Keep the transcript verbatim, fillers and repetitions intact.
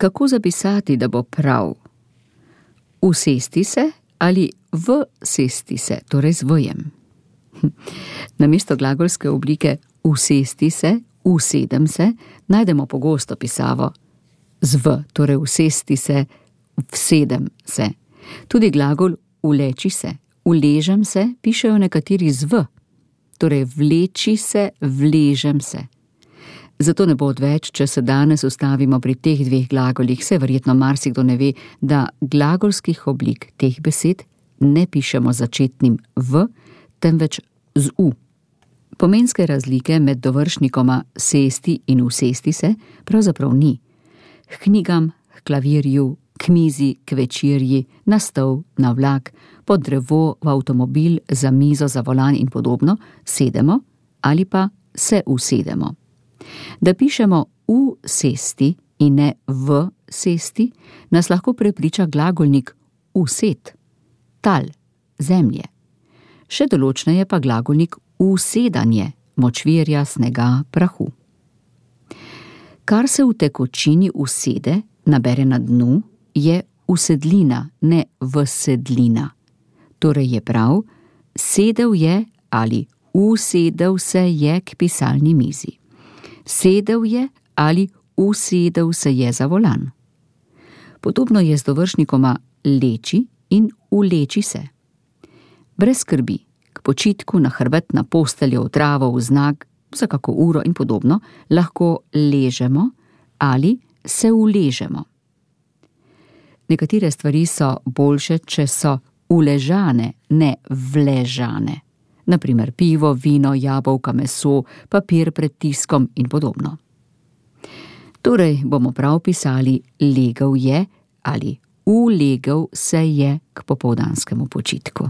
Kako zapisati, da bo prav? Usesti se ali vsesti se, torej z v-jem. Namesto glagolske oblike usesti se, usedem se, najdemo pogosto pisavo z v, torej usesti se, vsedem se. Tudi glagol uleči se, uležem se, pišejo nekateri z v, torej vleči se, vležem se. Zato ne bo odveč, če se danes ustavimo pri teh dveh glagolih, saj verjetno marsikdo ne ve, da glagolskih oblik teh besed ne pišemo začetnim v, temveč z u. Pomenske razlike med dovršnikoma sesti in usesti se pravzaprav ni. K knjigam, k klavirju, k mizi, k večerji, na stol, na vlak, pod drevo, v avtomobil, za mizo, za volan in podobno, sedemo ali pa se usedemo. Da pišemo v sesti in ne v sesti, nas lahko prepriča glagolnik used, tal, zemlje. Še določneje pa glagolnik usedanje, močvirja, snega, prahu. Kar se v tekočini usede, nabere na dnu, je usedlina, ne vsedlina. Torej je prav, sedel je ali usedel se je k pisalni mizi. Sedel je ali usedel se je za volan. Podobno je z dovršnikoma leči in uleči se. Brez skrbi, k počitku, na hrbet, na posteljo, v travo, v znak, za kako uro in podobno, lahko ležemo ali se uležemo. Nekatere stvari so boljše, če so uležane, ne vležane. Naprimer pivo, vino, jabolka, meso, papir pred tiskom in podobno. Torej bomo prav pisali legel je ali ulegel se je k popoldanskemu počitku.